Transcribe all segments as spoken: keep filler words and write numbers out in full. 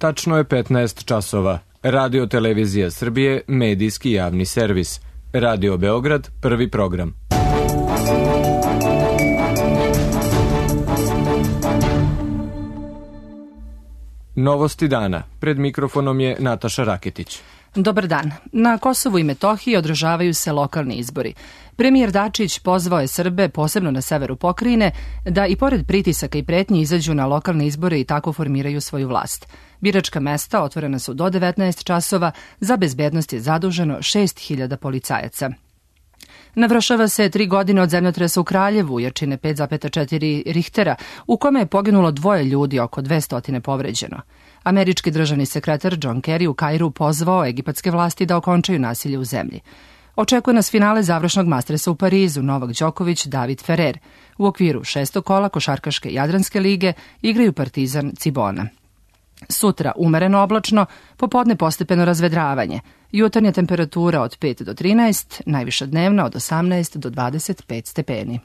Tačno je petnaest časova. Radio Televizija Srbije, medijski javni servis. Radio Beograd, prvi program. Novosti dana. Pred mikrofonom je Nataša Raketić. Dobar dan. Na Kosovu i Metohiji održavaju se lokalni izbori. Premijer Dačić pozvao je Srbe, posebno na severu pokrajine, da i pored pritisaka i pretnji izađu na lokalne izbore i tako formiraju svoju vlast. Biračka mesta otvorena su do devetnaest časova, za bezbednost je zaduženo šest hiljada policajaca. Navršava se tri godine od zemljotresa u Kraljevu, jačine pet zarez četiri Richtera, u kome je poginulo dvoje ljudi, oko dvesta povređeno. Američki državni sekretar John Kerry u Kairu pozvao egipatske vlasti da okončaju nasilje u zemlji. Očekuje nas finale završnog mastersa u Parizu, Novak Đoković, David Ferrer. U okviru šestog kola košarkaške Jadranske lige igraju Partizan Cibona. Sutra umereno oblačno, popodne postepeno razvedravanje. Jutarnja temperatura od pet do trinaest, najviša dnevna od osamnaest do dvadeset pet stepeni.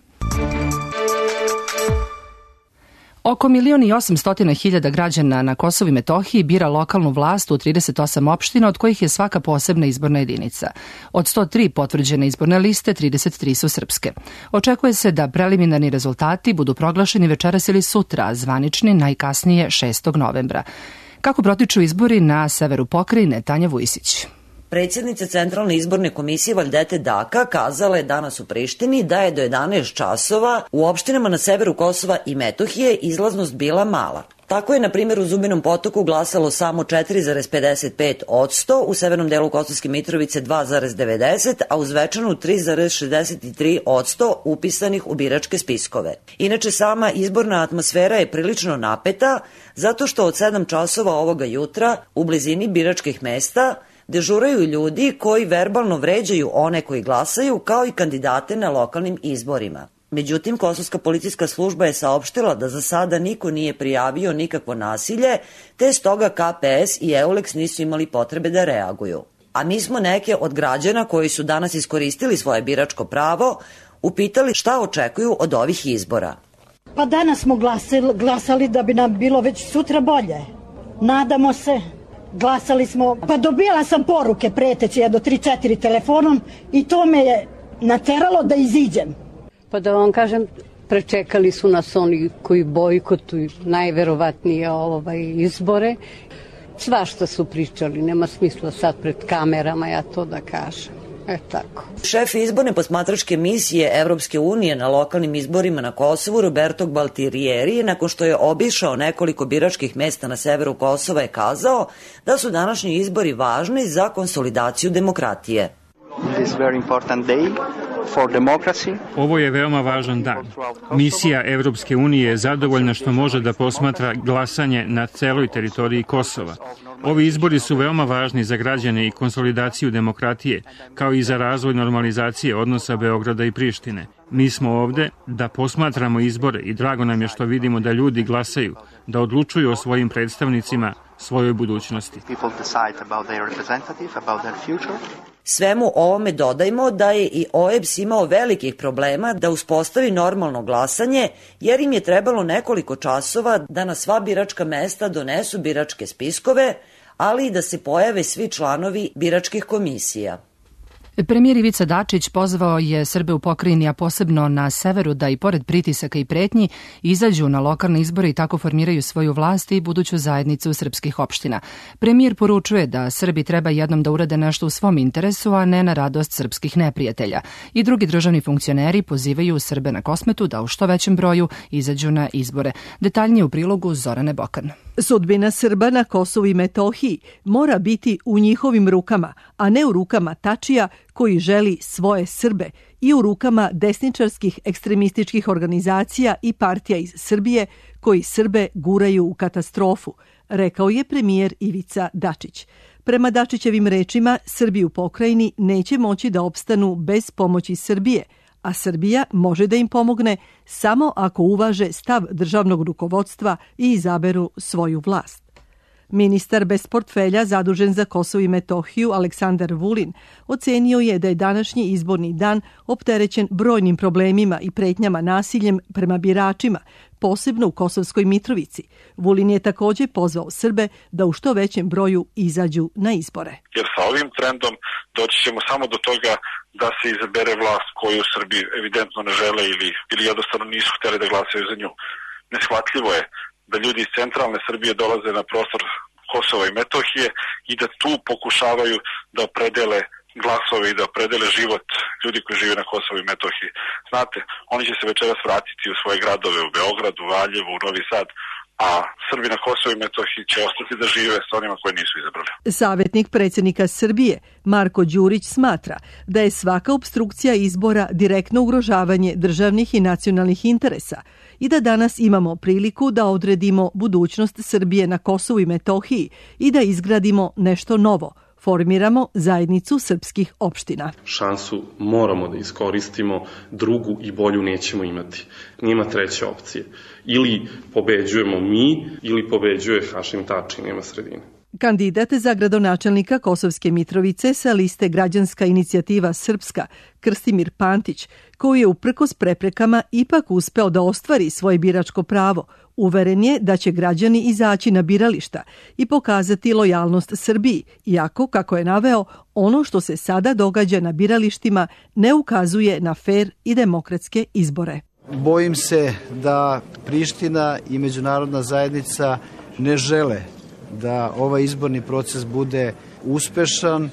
Oko milion i osamstotina hiljada građana na Kosovu i Metohiji bira lokalnu vlast u trideset osam opština, od kojih je svaka posebna izborna jedinica. Od sto tri potvrđene izborne liste, trideset tri su srpske. Očekuje se da preliminarni rezultati budu proglašeni večeras ili sutra, a zvanični najkasnije šestog novembra. Kako protiču izbori na severu pokrajine, Tanja Vujisić. Predsjednica Centralne izborne komisije Valdete Daka kazala je danas u Prištini da je do jedanaest časova u opštinama na severu Kosova i Metohije izlaznost bila mala. Tako je, na primjer, u Zubinom Potoku glasalo samo četiri zarez pedeset pet posto, u severnom delu Kosovske Mitrovice dva zarez devedeset, a u Zvečanu tri zarez šezdeset tri posto upisanih u biračke spiskove. Inače, sama izborna atmosfera je prilično napeta, zato što od sedam časova ovoga jutra u blizini biračkih mesta dežuraju ljudi koji verbalno vređaju one koji glasaju, kao i kandidate na lokalnim izborima. Međutim, Kosovska policijska služba je saopštila da za sada niko nije prijavio nikakvo nasilje, te stoga K P S i EULEX nisu imali potrebe da reaguju. A mi smo neke od građana koji su danas iskoristili svoje biračko pravo upitali šta očekuju od ovih izbora. Pa danas smo glasali, glasali da bi nam bilo već sutra bolje. Nadamo se. Glasali smo, pa dobila sam poruke preteće jedno tri četiri telefonom i to me je nateralo da iziđem. Pa da vam kažem, prečekali su nas oni koji bojkotuju najverovatnije ovaj izbore. Svašta su pričali, nema smisla sad pred kamerama ja to da kažem. E tako. Šef izborne posmatračke misije Evropske unije na lokalnim izborima na Kosovu, Roberto Gualtieri, nakon što je obišao nekoliko biračkih mesta na severu Kosova, je kazao da su današnji izbori važni za konsolidaciju demokratije. Ovo je veoma važan dan. Misija Evropske unije je zadovoljna što može da posmatra glasanje na celoj teritoriji Kosova. Ovi izbori su veoma važni za građane i konsolidaciju demokratije, kao i za razvoj normalizacije odnosa Beograda i Prištine. Mi smo ovde da posmatramo izbore i drago nam je što vidimo da ljudi glasaju, da odlučuju o svojim predstavnicima, svojoj budućnosti. Svemu ovome dodajmo da je i O E B S imao velikih problema da uspostavi normalno glasanje, jer im je trebalo nekoliko časova da na sva biračka mesta donesu biračke spiskove, ali i da se pojave svi članovi biračkih komisija. Premijer Ivica Dačić pozvao je Srbe u pokrajini, a posebno na severu, da i pored pritisaka i pretnji izađu na lokalne izbore i tako formiraju svoju vlast i buduću zajednicu srpskih opština. Premijer poručuje da Srbi treba jednom da urade nešto u svom interesu, a ne na radost srpskih neprijatelja. I drugi državni funkcioneri pozivaju Srbe na Kosmetu da u što većem broju izađu na izbore. Detaljnije u prilogu Zorane Bokan. Sudbina Srba na Kosovu i Metohiji mora biti u njihovim rukama, a ne u rukama Tačija koji želi svoje Srbe, i u rukama desničarskih ekstremističkih organizacija i partija iz Srbije koji Srbe guraju u katastrofu, rekao je premijer Ivica Dačić. Prema Dačićevim rečima, Srbi u pokrajini neće moći da opstanu bez pomoći Srbije, a Srbija može da im pomogne samo ako uvaže stav državnog rukovodstva i izaberu svoju vlast. Ministar bez portfelja zadužen za Kosovo i Metohiju Aleksandar Vulin ocenio je da je današnji izborni dan opterećen brojnim problemima i pretnjama nasiljem prema biračima, posebno u Kosovskoj Mitrovici. Vulin je takođe pozvao Srbe da u što većem broju izađu na izbore. Jer sa ovim trendom doći ćemo samo do toga da se izabere vlast koju u Srbiji evidentno ne žele ili, ili jednostavno nisu hteli da glasaju za nju. Neshvatljivo je da ljudi iz centralne Srbije dolaze na prostor Kosova i Metohije i da tu pokušavaju da opredele glasove i da opredele život ljudi koji žive na Kosovu i Metohiji. Znate, oni će se večeras vratiti u svoje gradove, u Beogradu, u Valjevu, u Novi Sad, a Srbi na Kosovu i Metohiji će ostati da žive s onima koje nisu izabrali. Savetnik predsjednika Srbije, Marko Đurić, smatra da je svaka opstrukcija izbora direktno ugrožavanje državnih i nacionalnih interesa i da danas imamo priliku da odredimo budućnost Srbije na Kosovu i Metohiji i da izgradimo nešto novo, formiramo zajednicu srpskih opština. Šansu moramo da iskoristimo, drugu i bolju nećemo imati. Nema treće opcije. Ili pobeđujemo mi, ili pobeđuje Hašim Tači, nema sredine. Kandidat za gradonačelnika Kosovske Mitrovice sa liste Građanska inicijativa Srpska, Krstimir Pantić, koji je uprkos preprekama ipak uspeo da ostvari svoje biračko pravo, uveren je da će građani izaći na birališta i pokazati lojalnost Srbiji, iako, kako je naveo, ono što se sada događa na biralištima ne ukazuje na fer i demokratske izbore. Bojim se da Priština i međunarodna zajednica ne žele da ovaj izborni proces bude uspešan,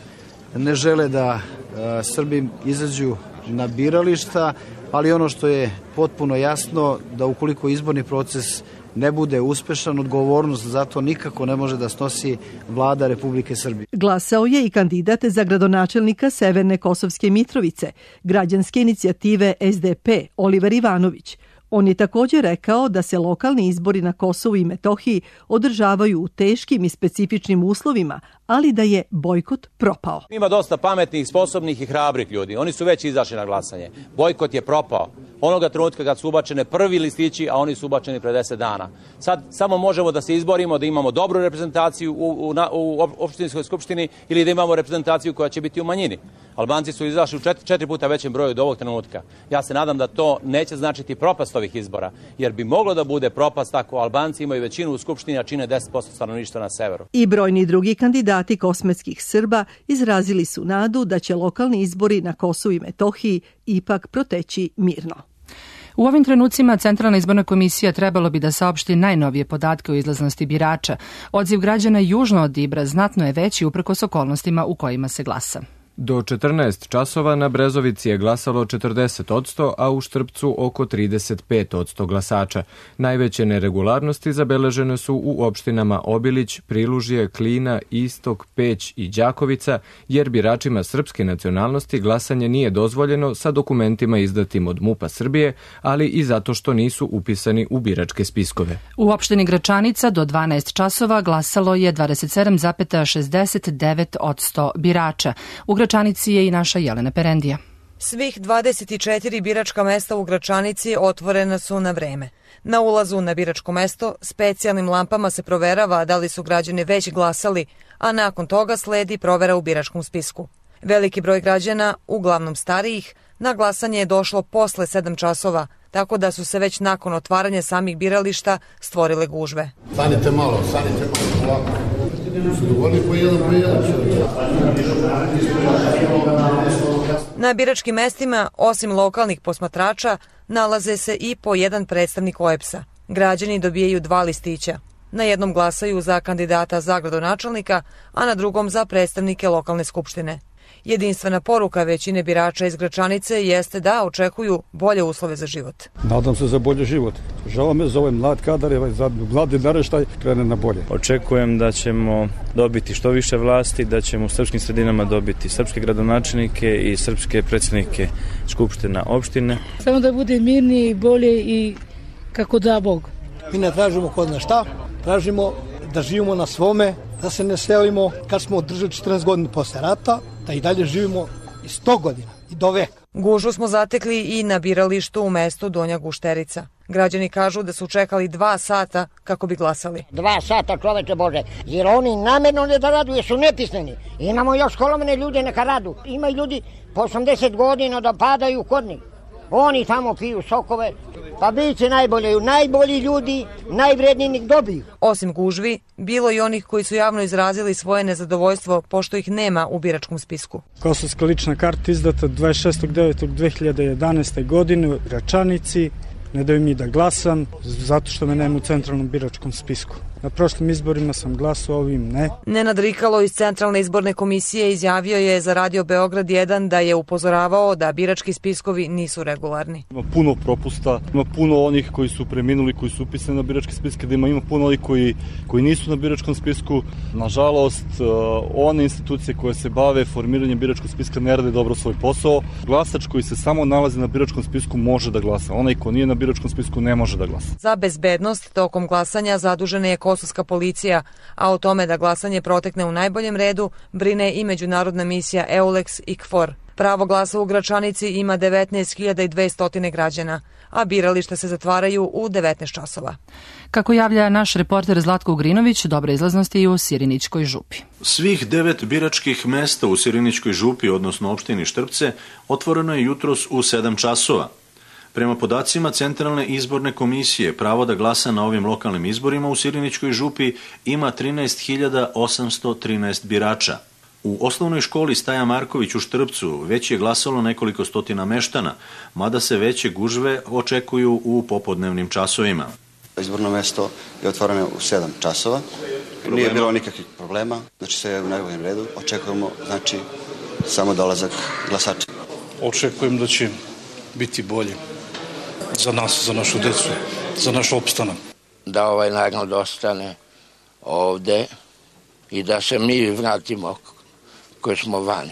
ne žele da a, Srbi izađu na birališta, ali ono što je potpuno jasno da ukoliko izborni proces ne bude uspešan, odgovornost za to nikako ne može da snosi vlada Republike Srbije. Glasao je i kandidat za gradonačelnika Severne Kosovske Mitrovice, građanske inicijative S D P, Oliver Ivanović. On je također rekao da se lokalni izbori na Kosovu i Metohiji održavaju u teškim i specifičnim uslovima, ali da je bojkot propao. Ima dosta pametnih, sposobnih i hrabrih ljudi. Oni su već izašli na glasanje. Bojkot je propao. Onoga trenutka kad su ubačene prvi listići, a oni su ubačeni pre deset dana. Sad samo možemo da se izborimo, da imamo dobru reprezentaciju u, u, u opštinskoj skupštini ili da imamo reprezentaciju koja će biti u manjini. Albanci su izašli u četiri, četiri puta većem broju od ovog trenutka. Ja se nadam da to neće značiti propast ovih izbora, jer bi moglo da bude propast ako Albanci imaju većinu u skupštini, a čine deset posto stanovništva na severu. I brojni drugi kandidati kosmetskih Srba izrazili su nadu da će lokalni izbori na Kosovu i Metohiji ipak proteći mirno. U ovim trenucima Centralna izborna komisija trebalo bi da saopšti najnovije podatke o izlaznosti birača. Odziv građana južno od Ibra znatno je veći uprkos okolnostima u kojima se glasa. Do četrnaest časova na Brezovici je glasalo četrdeset odsto, a u Štrpcu oko trideset pet odsto glasača. Najveće neregularnosti zabeležene su u opštinama Obilić, Prilužje, Klina, Istok, Peć i Đakovica, jer biračima srpske nacionalnosti glasanje nije dozvoljeno sa dokumentima izdatim od MUP-a Srbije, ali i zato što nisu upisani u biračke spiskove. U opštini Gračanica do dvanaest časova glasalo je dvadeset sedam zarez šezdeset devet odsto birača. U Gračanici je i naša Jelena Perendija. Svih dvadeset četiri biračka mesta u Gračanici otvorena su na vreme. Na ulazu na biračko mesto specijalnim lampama se proverava da li su građani već glasali, a nakon toga sledi provera u biračkom spisku. Veliki broj građana, uglavnom starijih, na glasanje je došlo posle sedam časova, tako da su se već nakon otvaranja samih birališta stvorile gužve. Stanite malo, stanite malo, ovako. Na biračkim mestima, osim lokalnih posmatrača, nalaze se i po jedan predstavnik O E B S-a. Građani dobijaju dva listića. Na jednom glasaju za kandidata za gradonačelnika, a na drugom za predstavnike lokalne skupštine. Jedinstvena poruka većine birača iz Gračanice jeste da očekuju bolje uslove za život. Nadam se za bolji život. Žao me za ovaj mlad kadar, za mladi naraštaj krene na bolje. Očekujem da ćemo dobiti što više vlasti, da ćemo u srpskim sredinama dobiti srpske gradonačelnike i srpske predsjednike skupština opštine. Samo da bude mirnije i bolje i kako da Bog. Mi ne tražimo kod nas šta, tražimo da živimo na svome, da se ne selimo kad smo održali četrnaest godina posle rata, da i dalje živimo i sto godina. i do veka. Gužvu smo zatekli i na biralištu u mestu Donja Gušterica. Građani kažu da su čekali dva sata kako bi glasali. Dva sata, čoveče Bože, jer oni namerno ne da radu, jer su nepismeni. Imamo još školovane ljude neka radu. Ima ljudi po osamdeset godina da padaju kod njih. Oni tamo piju sokove, pa bit će najbolje. Najbolji ljudi, najvredniji nek dobiju. Osim gužvi, bilo i onih koji su javno izrazili svoje nezadovoljstvo pošto ih nema u biračkom spisku. Kosovska lična karta izdata dvadeset šestog devetog dve hiljade jedanaeste. godine u Gračanici. Ne daju mi da glasam, zato što me nema u centralnom biračkom spisku. Na prošlim izborima sam glasao, ovim ne. Nenad Rikalo iz Centralne izborne komisije izjavio je za Radio Beograd jedan da je upozoravao da birački spiskovi nisu regularni. Ima puno propusta, ima puno onih koji su preminuli, koji su upisani na biračke spiske, da ima, ima puno onih koji, koji nisu na biračkom spisku. Nažalost, one institucije koje se bave formiranjem biračkog spiska ne rade dobro svoj posao. Glasač koji se samo nalazi na biračkom spisku može da glasa. Onaj ko nije na biračkom spisku ne može da glasa. Za bezbednost tokom glasanja zadužena je kosovska policija, a o tome da glasanje protekne u najboljem redu brine i međunarodna misija EULEX i KFOR. Pravo glasa u Gračanici ima devetnaest hiljada dvesta građana, a birališta se zatvaraju u devetnaest časova. Kako javlja naš reporter Zlatko Ugrinović, dobra izlaznost je i u Sirinićkoj župi. Svih devet biračkih mesta u Sirinićkoj župi, odnosno opštini Štrpce, otvoreno je jutros u sedam časova. Prema podacima Centralne izborne komisije, pravo da glasa na ovim lokalnim izborima u Sirinićkoj župi ima trinaest hiljada osamsto trinaest birača. U osnovnoj školi Staja Marković u Štrpcu već je glasalo nekoliko stotina meštana, mada se veće gužve očekuju u popodnevnim časovima. Izborno mesto je otvoreno u sedam časova. Problema. Nije bilo nikakvih problema, znači sve je u najboljem redu. Očekujemo, znači, samo dolazak glasača. Očekujem da će biti bolje za nas, za našu decu, za naš opstanak. Da ovaj narod ostane ovde i da se mi vratimo koji smo vani.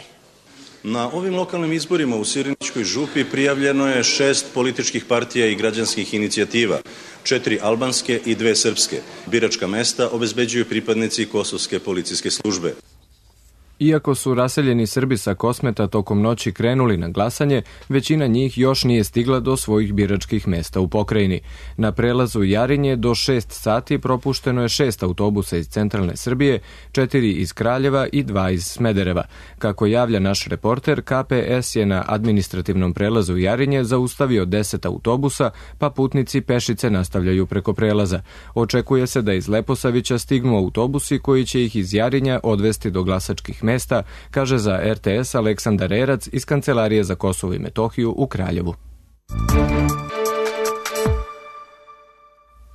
Na ovim lokalnim izborima u Sirinićkoj župi prijavljeno je šest političkih partija i građanskih inicijativa, četiri albanske i dve srpske. Biračka mesta obezbeđuju pripadnici kosovske policijske službe. Iako su raseljeni Srbi sa Kosmeta tokom noći krenuli na glasanje, većina njih još nije stigla do svojih biračkih mesta u pokrajini. Na prelazu Jarinje do šest sati propušteno je šest autobusa iz centralne Srbije, četiri iz Kraljeva i dva iz Smedereva. Kako javlja naš reporter, K P S je na administrativnom prelazu Jarinje zaustavio deset autobusa, pa putnici pešice nastavljaju preko prelaza. Očekuje se da iz Leposavića stignu autobusi koji će ih iz Jarinja odvesti do glasačkih mesta, kaže za R T S Aleksandar Erac iz Kancelarije za Kosovo i Metohiju u Kraljevu.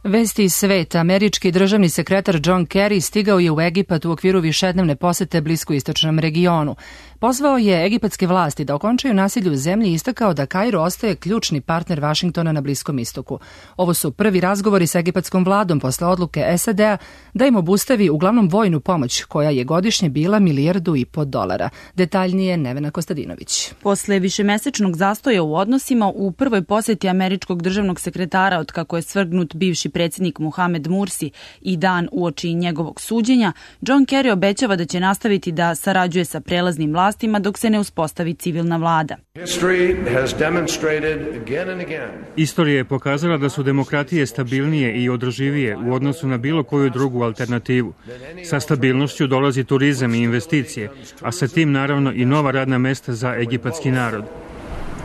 Vesti iz sveta. Američki državni sekretar John Kerry stigao je u Egipat u okviru višednevne posete bliskoistočnom regionu. Pozvao je egipatske vlasti da okončaju nasilje u zemlji i istakao da Kairo ostaje ključni partner Vašingtona na Bliskom istoku. Ovo su prvi razgovori sa egipatskom vladom posle odluke S A D-a da im obustavi uglavnom vojnu pomoć, koja je godišnje bila milijardu i po dolara. Detaljnije Nevena Kostadinović. Posle višemesečnog zastoja u odnosima, u prvoj poseti američkog državnog sekretara od kako je svrgnut bivši predsjednik Mohamed Mursi i dan uoči njegovog suđenja, John Kerry obećava da će nastaviti da sarađuje sa prelaznim vlastima dok se ne uspostavi civilna vlada. Istorija je pokazala da su demokratije stabilnije i održivije u odnosu na bilo koju drugu alternativu. Sa stabilnošću dolazi turizam i investicije, a sa tim naravno i nova radna mesta za egipatski narod.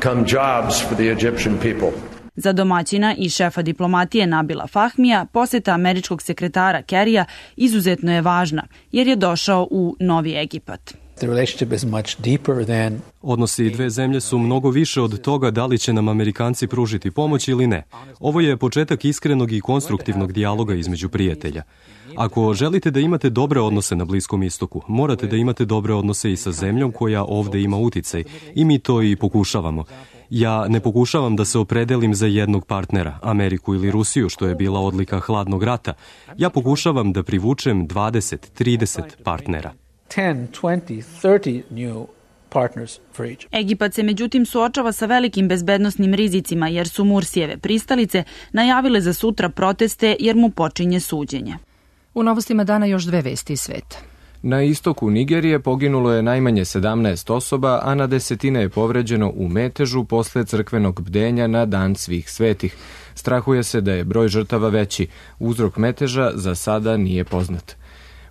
Come jobs for the Egyptian people. Za domaćina i šefa diplomatije Nabila Fahmija, poseta američkog sekretara Kerrya izuzetno je važna, jer je došao u Novi Egipat. Odnosi dve zemlje su mnogo više od toga da li će nam Amerikanci pružiti pomoć ili ne. Ovo je početak iskrenog i konstruktivnog dijaloga između prijatelja. Ako želite da imate dobre odnose na Bliskom istoku, morate da imate dobre odnose i sa zemljom koja ovde ima uticaj, i mi to i pokušavamo. Ja ne pokušavam da se opredelim za jednog partnera, Ameriku ili Rusiju, što je bila odlika hladnog rata. Ja pokušavam da privučem dvadeset trideset partnera. ten, twenty, thirty new partners for each. Egipat se međutim suočava sa velikim bezbednosnim rizicima jer su Mursijeve pristalice najavile za sutra proteste jer mu počinje suđenje. U novostima dana još dve vesti iz sveta. Na istoku Nigerije poginulo je najmanje sedamnaest osoba, a na desetine je povređeno u metežu posle crkvenog bdenja na Dan svih svetih. Strahuje se da je broj žrtava veći. Uzrok meteža za sada nije poznat.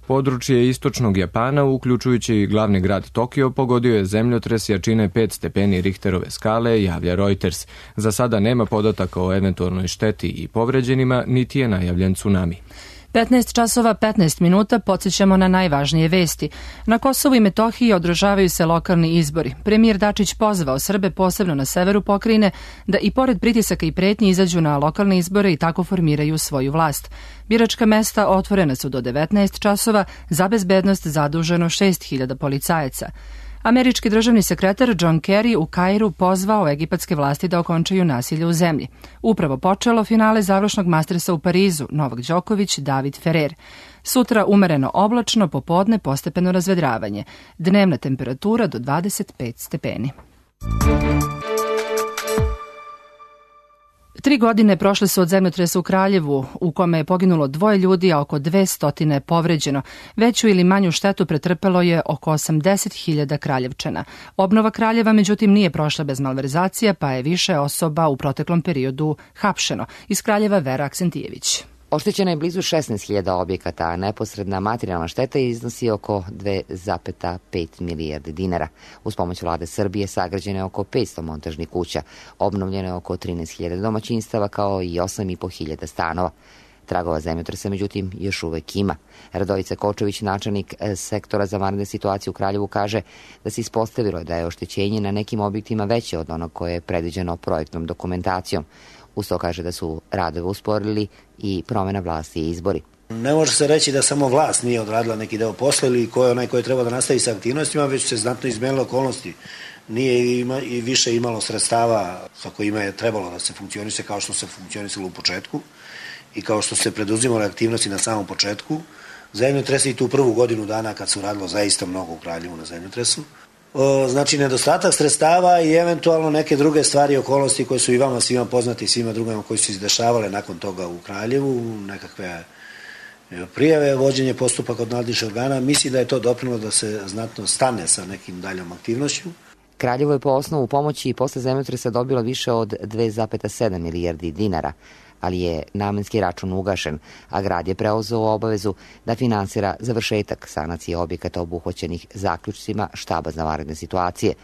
Područje istočnog Japana, uključujući i glavni grad Tokio, pogodio je zemljotres jačine pet stepeni Richterove skale, javlja Reuters. Za sada nema podataka o eventualnoj šteti i povređenima, niti je najavljen tsunami. petnaest časova petnaest minuta, podsjećamo na najvažnije vesti. Na Kosovu i Metohiji održavaju se lokalni izbori. Premijer Dačić pozvao Srbe, posebno na severu pokrajine, da i pored pritisaka i pretnji izađu na lokalne izbore i tako formiraju svoju vlast. Biračka mesta otvorena su do devetnaest časova, za bezbednost zaduženo šest hiljada policajaca. Američki državni sekretar John Kerry u Kairu pozvao egipatske vlasti da okončaju nasilje u zemlji. Upravo počelo finale završnog Mastersa u Parizu, Novak Đoković, David Ferrer. Sutra umereno oblačno, popodne postepeno razvedravanje. Dnevna temperatura do dvadeset pet stepeni. Tri godine prošle su od zemljotresa u Kraljevu, u kome je poginulo dvoje ljudi, a oko dve stotine povređeno. Veću ili manju štetu pretrpelo je oko osamdeset hiljada Kraljevčana. Obnova Kraljeva, međutim, nije prošla bez malverzacija, pa je više osoba u proteklom periodu hapšeno. Iz Kraljeva Vera Aksentijević. Oštećeno je blizu šesnaest hiljada objekata, a neposredna materijalna šteta iznosi oko dve zarez pet milijarde dinara. Uz pomoć vlade Srbije sagrađeno je oko petsto montažnih kuća, obnovljeno je oko trinaest hiljada domaćinstava kao i osam i po hiljada stanova. Tragova zemljotresa, međutim, još uvek ima. Radovica Kočević, načelnik sektora za vanredne situacije u Kraljevu, kaže da se ispostavilo da je oštećenje na nekim objektima veće od onog koje je predviđeno projektnom dokumentacijom. Uz to kaže da su radove usporili i promena vlasti i izbori. Ne može se reći da samo vlast nije odradila neki deo posla ili ko je onaj koji treba da nastavi sa aktivnostima, već se znatno izmenile okolnosti. Nije ima, i više imalo sredstava sa kojima je trebalo da se funkcioniše kao što se funkcionisalo u početku i kao što se preduzimale aktivnosti na samom početku. Zemljotres i tu prvu godinu dana kad su radilo zaista mnogo u Kraljevu na zemljotresu. Znači, nedostatak sredstava i eventualno neke druge stvari i okolnosti koje su i vama svima poznati i svima drugima koji su izdešavale nakon toga u Kraljevu, nekakve prijave, vođenje postupaka od nadležnih organa. Mislim da je to doprinelo da se znatno stane sa nekim daljom aktivnošću. Kraljevo je po osnovu pomoći i posle zemljotresa dobilo više od dve zarez sedam milijardi dinara, ali je namenski račun ugašen, a grad je preuzeo obavezu da finansira završetak sanacije objekata obuhvaćenih zaključcima štaba za vanredne situacije.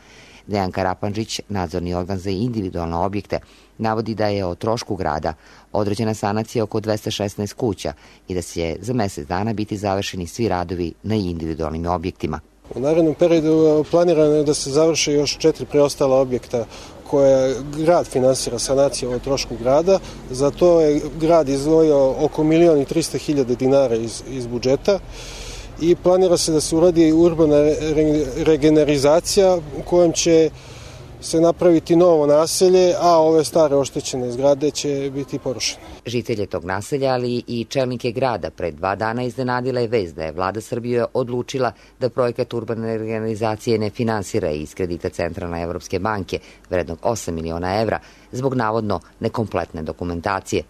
Dejan Karapanđić, nadzorni organ za individualne objekte, navodi da je o trošku grada određena sanacija oko dvesta šesnaest kuća i da će za mesec dana biti završeni svi radovi na individualnim objektima. U narednom periodu planirano je da se završe još četiri preostala objekta koje grad finansira sanaciju o trošku grada. Za to je grad izdvojio oko milion i trista hiljada dinara iz, iz budžeta i planira se da se uradi urbana re, regenerizacija u kojem će se napraviti novo naselje, a ove stare oštećene zgrade će biti porušene. Žitelje tog naselja, ali i čelnike grada pred dva dana iznenadila je vest da je vlada Srbije odlučila da projekat urbane regenerizacije ne finansira iz kredita Centralne Evropske banke vrednog osam miliona evra zbog navodno nekompletne dokumentacije.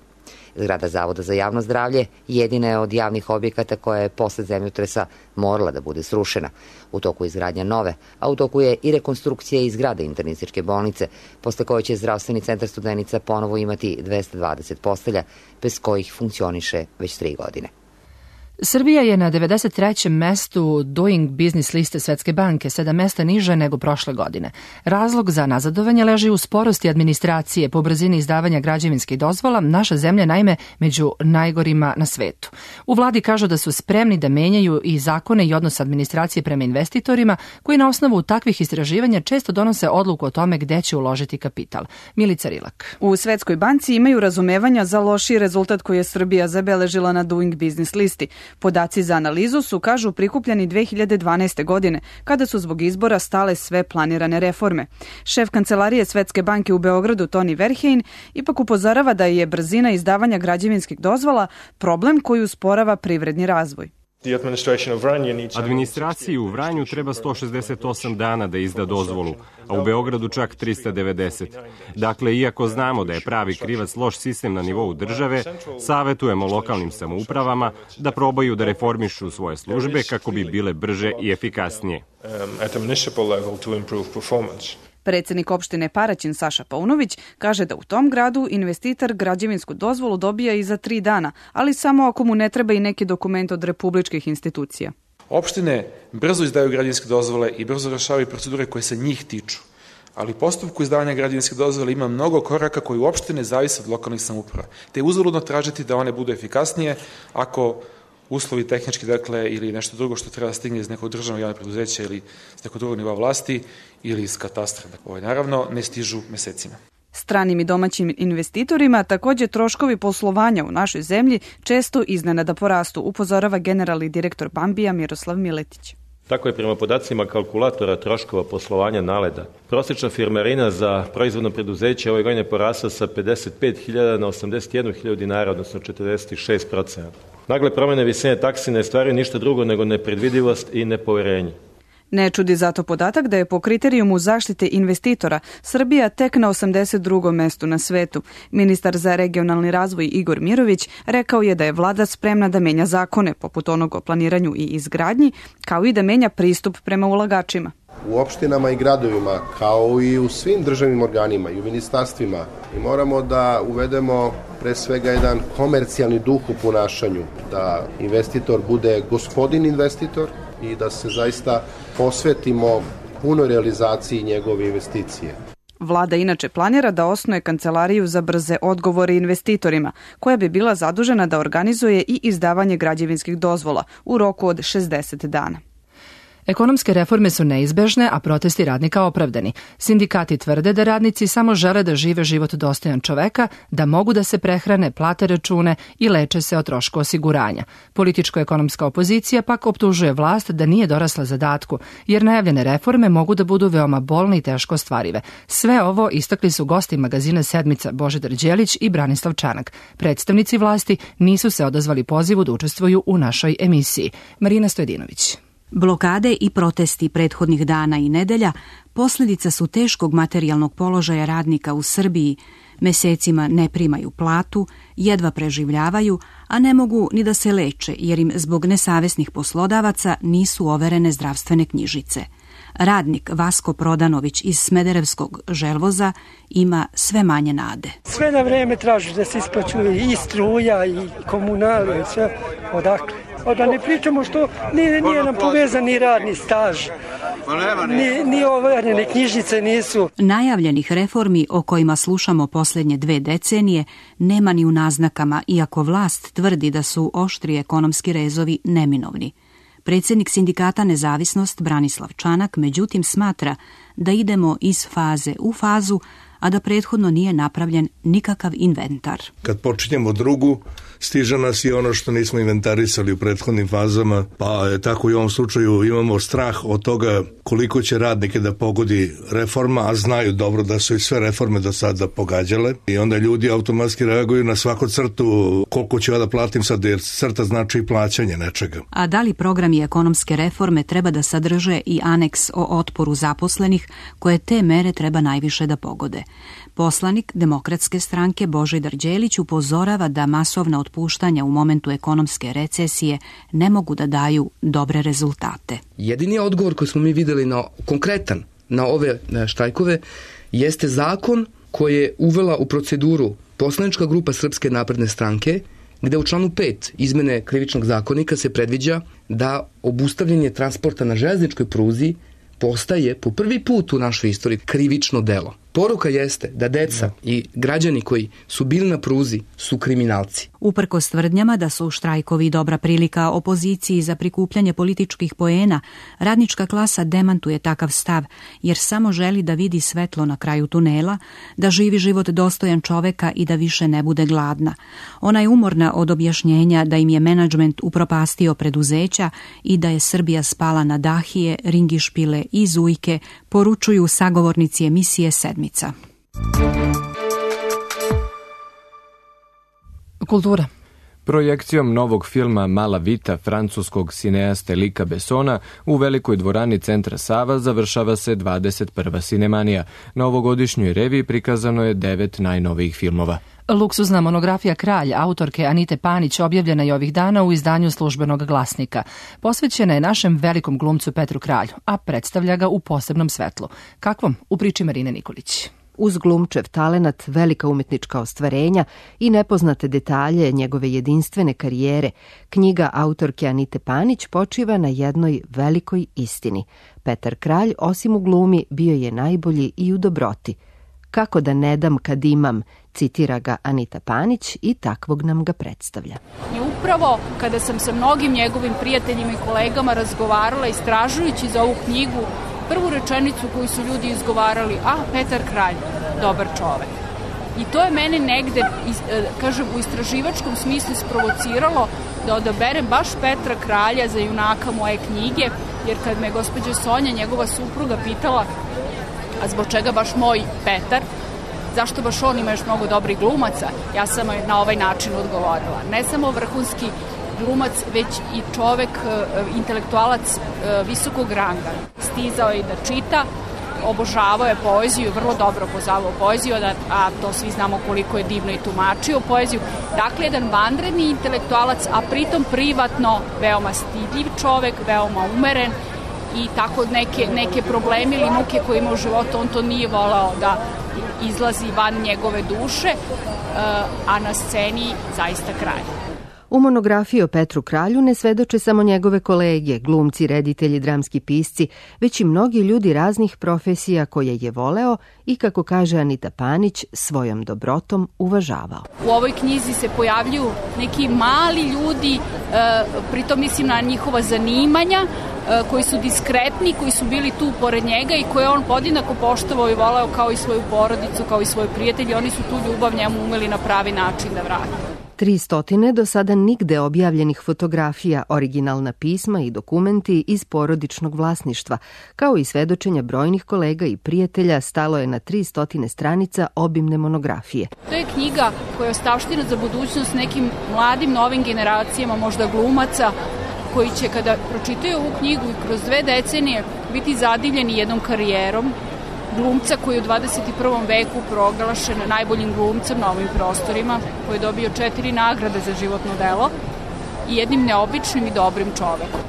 Zgrada Zavoda za javno zdravlje jedina je od javnih objekata koja je posle zemljotresa morala da bude srušena. U toku izgradnja nove, a u toku je i rekonstrukcija i zgrade internističke bolnice, posle koje će zdravstveni centar Studenica ponovo imati dvesta dvadeset postelja, bez kojih funkcioniše već tri godine. Srbija je na devedeset trećem mestu Doing Business liste Svetske banke, sedam mesta niže nego prošle godine. Razlog za nazadovanje leži u sporosti administracije po brzini izdavanja građevinskih dozvola. Naša zemlja naime među najgorima na svetu. U vladi kažu da su spremni da menjaju i zakone i odnos administracije prema investitorima, koji na osnovu takvih istraživanja često donose odluku o tome gde će uložiti kapital. Milica Rilak. U Svetskoj banci imaju razumevanja za lošiji rezultat koji je Srbija zabeležila na Doing Business listi. Podaci za analizu su, kažu, prikupljeni dve hiljade dvanaeste. godine, kada su zbog izbora stale sve planirane reforme. Šef kancelarije Svetske banke u Beogradu, Toni Verheyen, ipak upozorava da je brzina izdavanja građevinskih dozvola problem koji usporava privredni razvoj. Administraciji u Vranju treba sto šezdeset osam dana da izda dozvolu, a u Beogradu čak trista devedeset. Dakle, iako znamo da je pravi krivac loš sistem na nivou države, savetujemo lokalnim samoupravama da probaju da reformišu svoje službe kako bi bile brže i efikasnije. Predsednik opštine Paraćin Saša Paunović kaže da u tom gradu investitor građevinsku dozvolu dobija i za tri dana, ali samo ako mu ne treba i neki dokument od republičkih institucija. Opštine brzo izdaju građevinske dozvole i brzo rešavaju procedure koje se njih tiču, ali u postupku izdavanja građevinske dozvole ima mnogo koraka koji uopšte ne zavise od lokalnih samouprava, te je uzaludno tražiti da one budu efikasnije ako uslovi tehnički, dakle, ili nešto drugo što treba stigne iz nekog državnog javnog preduzeća ili iz nekog drugog nivoa vlasti ili iz katastra. Ovo naravno ne stižu mesecima. Stranim i domaćim investitorima takođe troškovi poslovanja u našoj zemlji često iznenada porastu, upozorava generalni direktor Bambija Miroslav Miletić. Tako je prema podacima kalkulatora troškova poslovanja Naleda. Prosječna firmarina za proizvodno preduzeće ove godine porasla sa pedeset pet hiljada na osamdeset jednu hiljadu dinara, odnosno četrdeset šest procenata. Nagle promene visine taksi ne stvaraju ništa drugo nego nepredvidivost i nepoverenje. Ne čudi zato podatak da je po kriterijumu zaštite investitora Srbija tek na osamdeset drugom mestu na svetu. Ministar za regionalni razvoj Igor Mirović rekao je da je vlada spremna da menja zakone, poput onog o planiranju i izgradnji, kao i da menja pristup prema ulagačima. U opštinama i gradovima, kao i u svim državnim organima i u ministarstvima, mi moramo da uvedemo pre svega jedan komercijalni duh u ponašanju, da investitor bude gospodin investitor i da se zaista posvetimo punoj realizaciji njegove investicije. Vlada inače planira da osnuje kancelariju za brze odgovore investitorima, koja bi bila zadužena da organizuje i izdavanje građevinskih dozvola u roku od šezdeset dana. Ekonomske reforme su neizbežne, a protesti radnika opravdani. Sindikati tvrde da radnici samo žele da žive život dostojan čoveka, da mogu da se prehrane, plate račune i leče se o trošku osiguranja. Političko-ekonomska opozicija pak optužuje vlast da nije dorasla zadatku, jer najavljene reforme mogu da budu veoma bolne i teško ostvarive. Sve ovo istakli su gosti magazina Sedmica Božidar Đelić i Branislav Čanak. Predstavnici vlasti nisu se odazvali pozivu da učestvuju u našoj emisiji. Marina Stojedinović. Blokade i protesti prethodnih dana i nedelja posljedica su teškog materijalnog položaja radnika u Srbiji. Mesecima ne primaju platu, jedva preživljavaju, a ne mogu ni da se leče jer im zbog nesavesnih poslodavaca nisu overene zdravstvene knjižice. Radnik Vasko Prodanović iz Smederevskog Želvoza ima sve manje nade. Sve na vreme traži da se isplaćuje i struja i komunalije, sve odakle. A da ne pričamo što nije, nije nam povezan ni radni staž, ni, ni overene knjižice nisu. Najavljenih reformi o kojima slušamo posljednje dve decenije nema ni u naznakama, iako vlast tvrdi da su oštri ekonomski rezovi neminovni. Predsjednik sindikata Nezavisnost Branislav Čanak međutim smatra da idemo iz faze u fazu, a da prethodno nije napravljen nikakav inventar. Kad počinjemo drugu, stiže nas i ono što nismo inventarisali u prethodnim fazama, pa je tako i u ovom slučaju imamo strah od toga koliko će radnike da pogodi reforma, a znaju dobro da su i sve reforme do sada pogađale i onda ljudi automatski reaguju na svaku crtu koliko ću ja da platim sad, jer crta znači i plaćanje nečega. A da li programi ekonomske reforme treba da sadrže i aneks o otporu zaposlenih koje te mere treba najviše da pogode? Poslanik Demokratske stranke Božidar Đelić upozorava da masovna otpuštanja u momentu ekonomske recesije ne mogu da daju dobre rezultate. Jedini odgovor koji smo mi videli na konkretan na ove štrajkove jeste zakon koji je uvela u proceduru poslanička grupa Srpske napredne stranke, gde u članu pet izmene krivičnog zakonika se predviđa da obustavljanje transporta na železničkoj pruzi postaje po prvi put u našoj istoriji krivično delo. Poruka jeste da deca i građani koji su bili na pruzi su kriminalci. Uprkos tvrdnjama da su štrajkovi dobra prilika opoziciji za prikupljanje političkih poena, radnička klasa demantuje takav stav, jer samo želi da vidi svetlo na kraju tunela, da živi život dostojan čoveka i da više ne bude gladna. Ona je umorna od objašnjenja da im je menadžment upropastio preduzeća i da je Srbija spala na dahije, ringišpile i zujke, poručuju sagovornici emisije Sedmica. Kultura. Projekcijom novog filma Mala Vita francuskog cineaste Luca Bessona u velikoj dvorani Centra Sava završava se dvadeset prva Cinemanija. Na ovogodišnjoj reviji prikazano je devet najnovijih filmova. Luksuzna monografija Kralj autorke Anite Panić objavljena je ovih dana u izdanju Službenog glasnika. Posvećena je našem velikom glumcu Petru Kralju, a predstavlja ga u posebnom svetlu. Kakvom? U priči Marine Nikolić. Uz glumčev talenat, velika umetnička ostvarenja i nepoznate detalje njegove jedinstvene karijere, knjiga autorke Anite Panić počiva na jednoj velikoj istini. Petar Kralj, osim u glumi, bio je najbolji i u dobroti. Kako da ne dam kad imam, citira ga Anita Panić i takvog nam ga predstavlja. I upravo kada sam sa mnogim njegovim prijateljima i kolegama razgovarala istražujući za ovu knjigu, prvu rečenicu koju su ljudi izgovarali, a Petar Kralj, dobar čovek. I to je mene negde, kažem, u istraživačkom smislu sprovociralo da odaberem baš Petra Kralja za junaka moje knjige, jer kad me gospođa Sonja, njegova supruga, pitala a zbog čega baš moj Petar, zašto baš on ima još mnogo dobrih glumaca, ja sam na ovaj način odgovorila. Ne samo vrhunski glumac, već i čovek, intelektualac visokog ranga. Stizao je da čita, obožavao je poeziju, vrlo dobro poznavao poeziju, a to svi znamo koliko je divno i tumačio poeziju. Dakle, jedan vanredni intelektualac, a pritom privatno veoma stidljiv čovek, veoma umeren i tako neke, neke probleme ili muke koje ima u životu, on to nije volao da izlazi van njegove duše, a na sceni zaista kralj. U monografiji o Petru Kralju ne svedoče samo njegove kolege, glumci, reditelji, dramski pisci, već i mnogi ljudi raznih profesija koje je voleo i, kako kaže Anita Panić, svojom dobrotom uvažavao. U ovoj knjizi se pojavljuju neki mali ljudi, pritom mislim na njihova zanimanja, koji su diskretni, koji su bili tu pored njega i koje on podjednako poštovao i voleo kao i svoju porodicu, kao i svoje prijatelje. Oni su tu ljubav njemu umeli na pravi način da vrate. Tri stotine do sada nigde objavljenih fotografija, originalna pisma i dokumenti iz porodičnog vlasništva, kao i svedočenja brojnih kolega i prijatelja, stalo je na tri stotine stranica obimne monografije. To je knjiga koja je ostavština za budućnost nekim mladim novim generacijama, možda glumaca, koji će kada pročitaju ovu knjigu i kroz dve decenije biti zadivljeni jednom karijerom glumca koji je u dvadeset prvom veku proglašen najboljim glumcem na ovim prostorima, koji je dobio četiri nagrade za životno delo i jednim neobičnim i dobrim čovekom.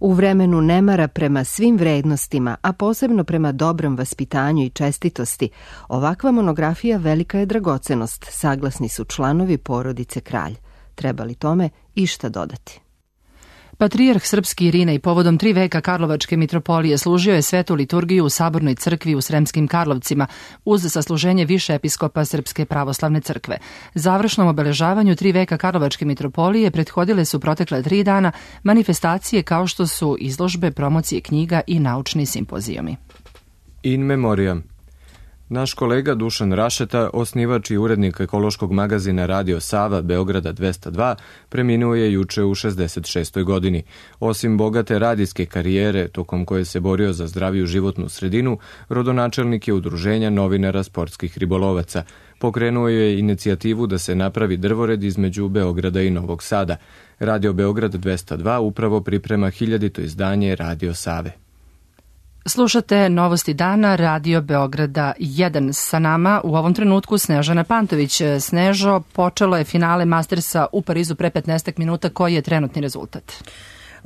U vremenu nemara prema svim vrednostima, a posebno prema dobrom vaspitanju i čestitosti, ovakva monografija velika je dragocenost, saglasni su članovi porodice Kralj. Treba li tome išta dodati? Patrijarh srpski Irinej povodom tri veka Karlovačke mitropolije služio je svetu liturgiju u Sabornoj crkvi u Sremskim Karlovcima uz sasluženje više episkopa Srpske pravoslavne crkve. Završnom obeležavanju tri veka Karlovačke mitropolije prethodile su protekle tri dana manifestacije kao što su izložbe, promocije knjiga i naučni simpozijumi. In memoriam. Naš kolega Dušan Rašeta, osnivač i urednik ekološkog magazina Radio Sava Beograda dvesta dva, preminuo je juče u šezdeset šestoj godini. Osim bogate radijske karijere, tokom koje se borio za zdraviju životnu sredinu, rodonačelnik je udruženja novinara sportskih ribolovaca. Pokrenuo je inicijativu da se napravi drvored između Beograda i Novog Sada. Radio Beograd dvesta dva upravo priprema hiljadito izdanje Radio Save. Slušate Novosti dana Radio Beograda jedan. Sa nama u ovom trenutku Snežana Pantović. Snežo, počelo je finale Mastersa u Parizu pre petnaest minuta. Koji je trenutni rezultat?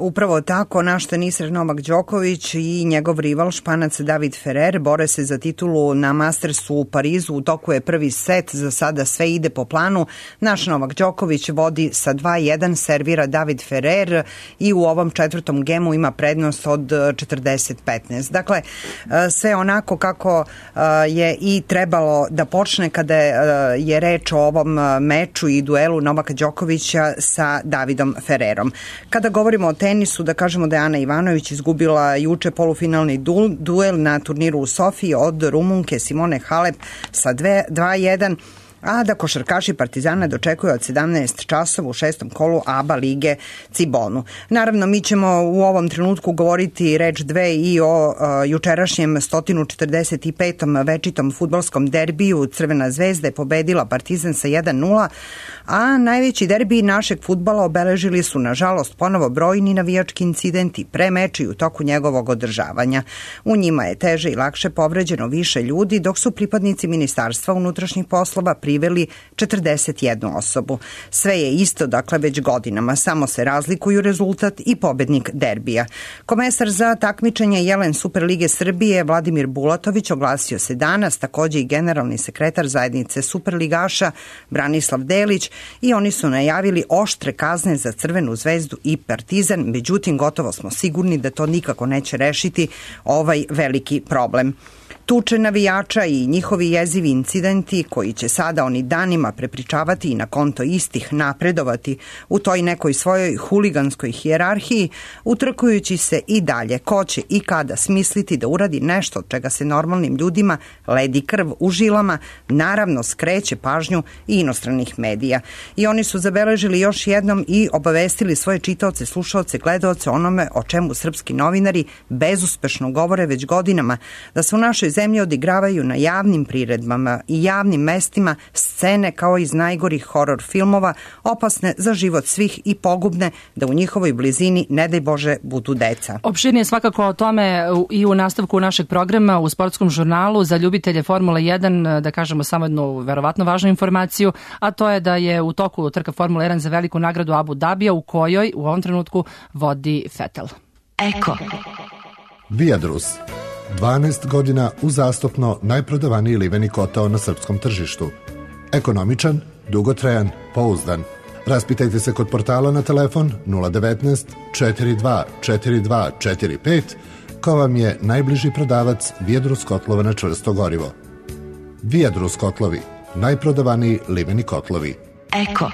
Upravo tako, naš teniser Novak Đoković i njegov rival Španac David Ferrer bore se za titulu na Mastersu u Parizu. U toku je prvi set, za sada sve ide po planu. Naš Novak Đoković vodi sa dva jedan, servira David Ferrer i u ovom četvrtom gemu ima prednost od četrdeset petnaest. Dakle, sve onako kako je i trebalo da počne kada je reč o ovom meču i duelu Novaka Đokovića sa Davidom Ferrerom. Kada govorimo o tenisu, da kažemo da je Ana Ivanović izgubila juče polufinalni du, duel na turniru u Sofiji od Rumunke Simone Halep sa dva jedan, a da košarkaši Partizana dočekuju od sedamnaest časova u šestom kolu A B A lige Cibonu. Naravno, mi ćemo u ovom trenutku govoriti reč dve i o uh, jučerašnjem sto četrdeset petom večitom fudbalskom derbiju. Crvena zvezda je pobedila Partizan sa jedan nula, A najveći derbi našeg fudbala obeležili su, nažalost, ponovo brojni navijački incidenti pre meča i u toku njegovog održavanja. U njima je teže i lakše povređeno više ljudi, dok su pripadnici Ministarstva unutrašnjih poslova priveli četrdeset jednu osobu. Sve je isto, dakle, već godinama, samo se razlikuju rezultat i pobednik derbija. Komesar za takmičenje Jelen Superlige Srbije Vladimir Bulatović oglasio se danas, takođe i generalni sekretar zajednice Superligaša Branislav Delić, i oni su najavili oštre kazne za Crvenu zvezdu i Partizan, međutim gotovo smo sigurni da to nikako neće rešiti ovaj veliki problem. Tuče navijača i njihovi jezivi incidenti koji će sada oni danima prepričavati i na konto istih napredovati u toj nekoj svojoj huliganskoj hijerarhiji, utrkujući se i dalje ko će i kada smisliti da uradi nešto od čega se normalnim ljudima ledi krv u žilama, naravno skreće pažnju i inostranih medija. I oni su zabeležili još jednom i obavestili svoje čitaoce, slušaoce, gledaoce onome o čemu srpski novinari bezuspešno govore već godinama, da su u našoj zemlji odigravaju na javnim priredbama i javnim mestima scene kao iz najgorih horor filmova, opasne za život svih i pogubne da u njihovoj blizini, ne daj Bože, budu deca. Opširnije svakako o tome i u nastavku našeg programa u sportskom žurnalu za ljubitelje Formule jedan, da kažemo samo jednu verovatno važnu informaciju, a to je da je u toku trka Formule jedan za veliku nagradu Abu Dabija, u kojoj u ovom trenutku vodi Vettel. Eko. Viadrus. dvanaest godina uzastopno najprodavaniji liveni kotao na srpskom tržištu. Ekonomičan, dugotrajan, pouzdan. Raspitajte se kod portala na telefon nula devetnaest četrdeset dva četrdeset dva četrdeset pet, ko vam je najbliži prodavac Viadrus kotlova na čvrsto gorivo. Viadrus kotlovi, najprodavaniji liveni kotlovi. Eko.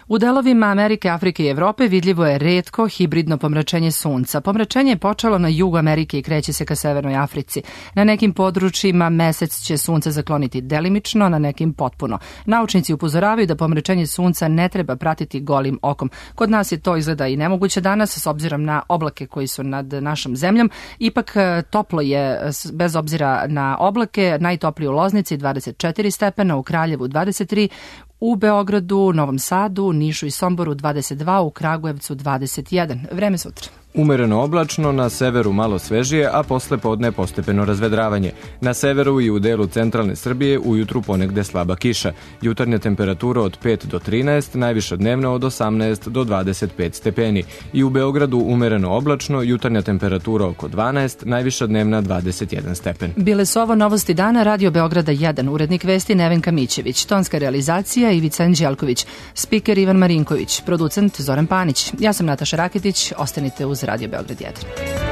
U delovima Amerike, Afrike i Evrope vidljivo je retko hibridno pomračenje sunca. Pomračenje je počelo na jugu Amerike i kreće se ka Severnoj Africi. Na nekim područjima mesec će sunce zakloniti delimično, na nekim potpuno. Naučnici upozoravaju da pomračenje sunca ne treba pratiti golim okom. Kod nas je to izgleda i nemoguće danas, s obzirom na oblake koji su nad našom zemljom. Ipak toplo je, bez obzira na oblake, najtoplije u Loznici dvadeset četiri stepena, u Kraljevu dvadeset tri, u Beogradu, Novom Sadu, Nišu i Somboru dvadeset dva, u Kragujevcu dvadeset jedan. Vreme sutra. Umereno oblačno, na severu malo svežije, a posle podne postepeno razvedravanje. Na severu i u delu centralne Srbije ujutru ponegde slaba kiša. Jutarnja temperatura od pet do trinaest, najviša dnevna od osamnaest do dvadeset pet stepeni. I u Beogradu umereno oblačno, jutarnja temperatura oko dvanaest, najviša dnevna dvadeset jedan stepen. Bile su ovo novosti dana, Radio Beograda jedan, urednik vesti Nevenka Mićević, tonska realizacija Ivica Anđelković, spiker Ivan Marinković, producent Zoran Panić. Ja sam Nataša Raketić, ostanite uz Radio Beograd jedan.